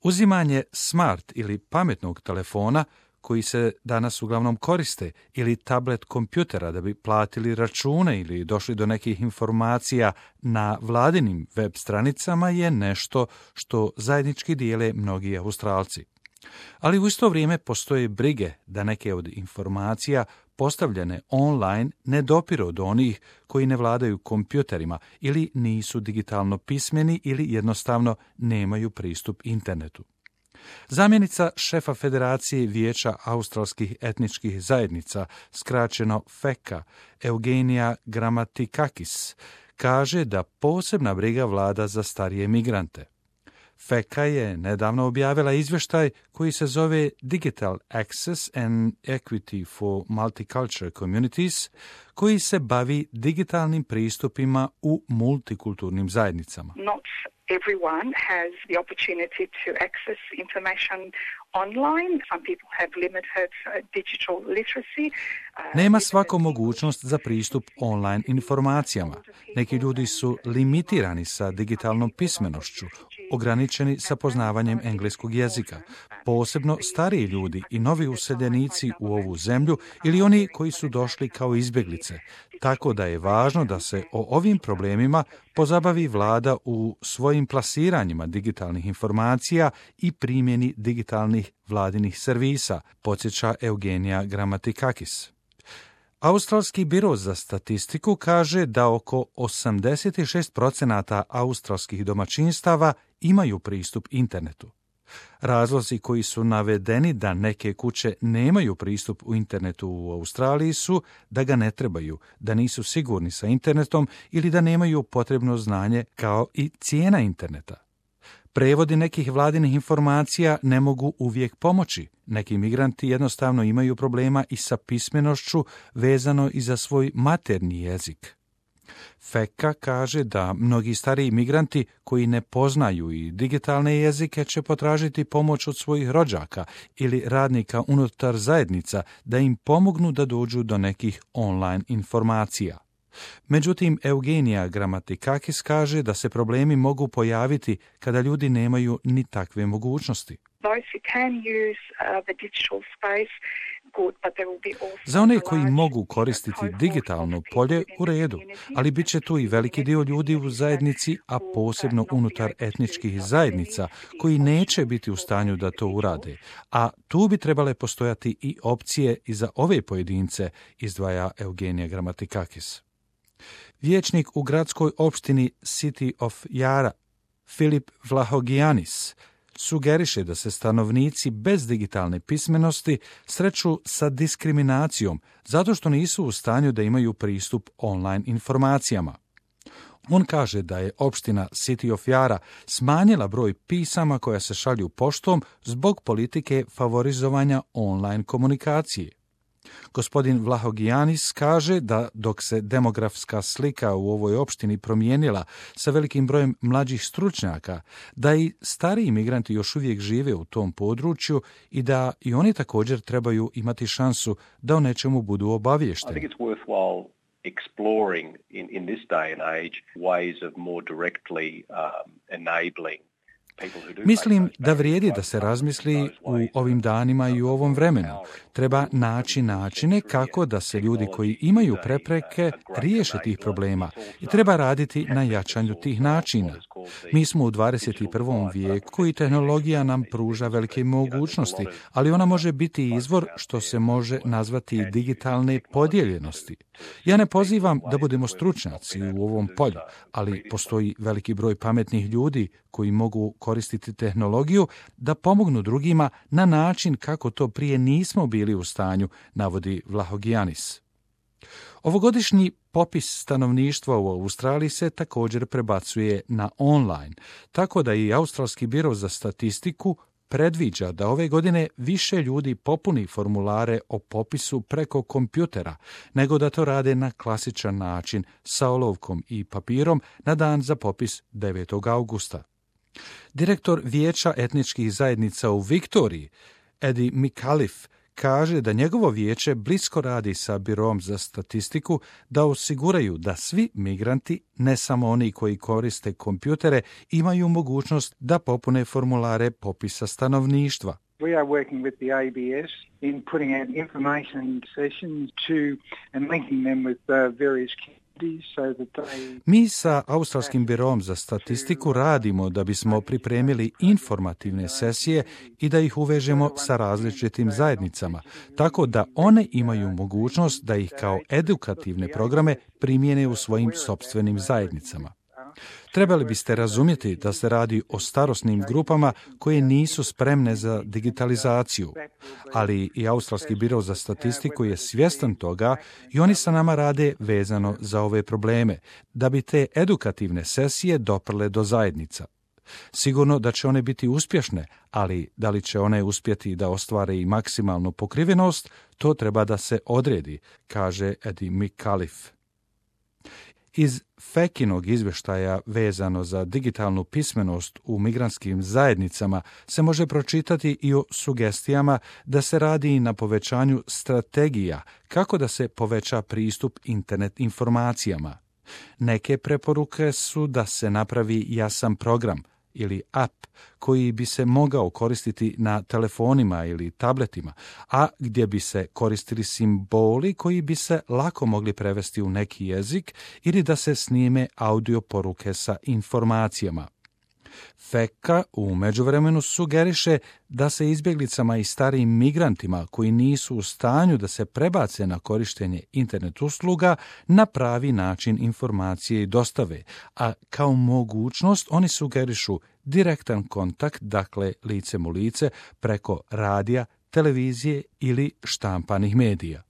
Uzimanje smart ili pametnog telefona, koji se danas uglavnom koriste, ili tablet kompjutera da bi platili račune ili došli do nekih informacija na vladinim web stranicama je nešto što zajednički dijele mnogi Australci. Ali u isto vrijeme postoje brige da neke od informacija postavljene online ne dopiru do onih koji ne vladaju kompjuterima ili nisu digitalno pismeni ili jednostavno nemaju pristup internetu. Zamjenica šefa Federacije Vijeća australskih etničkih zajednica, skraćeno FECA, Eugenija Grammatikakis, kaže da posebna briga vlada za starije migrante. FECA je nedavno objavila izvještaj koji se zove Digital Access and Equity for Multicultural Communities, koji se bavi digitalnim pristupima u multikulturnim zajednicama. Not everyone has the opportunity to access information online. Some people have limited digital literacy. Nema svako mogućnost za pristup online informacijama. Neki ljudi su limitirani sa digitalnom pismenošću, ograničeni sa poznavanjem engleskog jezika, posebno stariji ljudi i novi useljenici u ovu zemlju ili oni koji su došli kao izbjeglice. Tako da je važno da se o ovim problemima pozabavi vlada u svojim plasiranjima digitalnih informacija i primjeni digitalnih vladinih servisa, podsjeća Eugenija Grammatikakis. Australski biro za statistiku kaže da oko 86% australskih domaćinstava imaju pristup internetu. Razlozi koji su navedeni da neke kuće nemaju pristup u internetu u Australiji su da ga ne trebaju, da nisu sigurni sa internetom ili da nemaju potrebno znanje kao i cijena interneta. Prevodi nekih vladinih informacija ne mogu uvijek pomoći. Neki migranti jednostavno imaju problema i sa pismenošću vezano i za svoj maternji jezik. FECA kaže da mnogi stariji migranti koji ne poznaju i digitalne jezike će potražiti pomoć od svojih rođaka ili radnika unutar zajednica da im pomognu da dođu do nekih online informacija. Međutim, Eugenija Grammatikakis kaže da se problemi mogu pojaviti kada ljudi nemaju ni takve mogućnosti. Za one koji mogu koristiti digitalno polje, u redu, ali bit će tu i veliki dio ljudi u zajednici, a posebno unutar etničkih zajednica, koji neće biti u stanju da to urade, a tu bi trebale postojati i opcije i za ove pojedince, izdvaja Eugenija Grammatikakis. Vijećnik u gradskoj opštini City of Yarra, Filip Vlahogianis, sugeriše da se stanovnici bez digitalne pismenosti sreću sa diskriminacijom zato što nisu u stanju da imaju pristup online informacijama. On kaže da je opština City of Yarra smanjila broj pisama koja se šalju poštom zbog politike favorizovanja online komunikacije. Gospodin Vlahogianis kaže da dok se demografska slika u ovoj opštini promijenila sa velikim brojem mlađih stručnjaka, da i stariji migranti još uvijek žive u tom području i da i oni također trebaju imati šansu da o nečemu budu obaviješteni. Exploring in this day and age ways of more directly enabling. Mislim da vrijedi da se razmisli u ovim danima i u ovom vremenu. Treba naći načine kako da se ljudi koji imaju prepreke riješe tih problema i treba raditi na jačanju tih načina. Mi smo u 21. vijeku i tehnologija nam pruža velike mogućnosti, ali ona može biti izvor što se može nazvati digitalne podijeljenosti. Ja ne pozivam da budemo stručnjaci u ovom polju, ali postoji veliki broj pametnih ljudi koji mogu koristiti tehnologiju da pomognu drugima na način kako to prije nismo bili u stanju, navodi Vlahogianis. Ovogodišnji popis stanovništva u Australiji se također prebacuje na online, tako da i Australski biro za statistiku predviđa da ove godine više ljudi popuni formulare o popisu preko kompjutera, nego da to rade na klasičan način sa olovkom i papirom na dan za popis 9. augusta. Direktor Vijeća etničkih zajednica u Viktoriji, Eddie McAuliffe, kaže da njegovo vijeće blisko radi sa Biroom za statistiku da osiguraju da svi migranti, ne samo oni koji koriste kompjutere, imaju mogućnost da popune formulare popisa stanovništva. We are working with the ABS in putting out information sessions and linking them with various communities so that they... Mi sa Australskim biroom za statistiku radimo da bismo pripremili informativne sesije i da ih uvežemo sa različitim zajednicama, tako da one imaju mogućnost da ih kao edukativne programe primijene u svojim sopstvenim zajednicama. Trebali biste razumjeti da se radi o starosnim grupama koje nisu spremne za digitalizaciju, ali i Australski biro za statistiku je svjestan toga i oni sa nama rade vezano za ove probleme, da bi te edukativne sesije doprle do zajednica. Sigurno da će one biti uspješne, ali da li će one uspjeti da ostvare i maksimalnu pokrivenost, to treba da se odredi, kaže Eddie McAuliffe. Iz Fekinog izvještaja vezano za digitalnu pismenost u migrantskim zajednicama se može pročitati i o sugestijama da se radi na povećanju strategija kako da se poveća pristup internet informacijama. Neke preporuke su da se napravi jasan program ili app koji bi se mogao koristiti na telefonima ili tabletima, a gdje bi se koristili simboli koji bi se lako mogli prevesti u neki jezik ili da se snime audio poruke sa informacijama. Feka u međuvremenu sugeriše da se izbjeglicama i starijim migrantima koji nisu u stanju da se prebace na korištenje internet usluga na pravi način informacije i dostave, a kao mogućnost oni sugerišu direktan kontakt, dakle licem u lice, preko radija, televizije ili štampanih medija.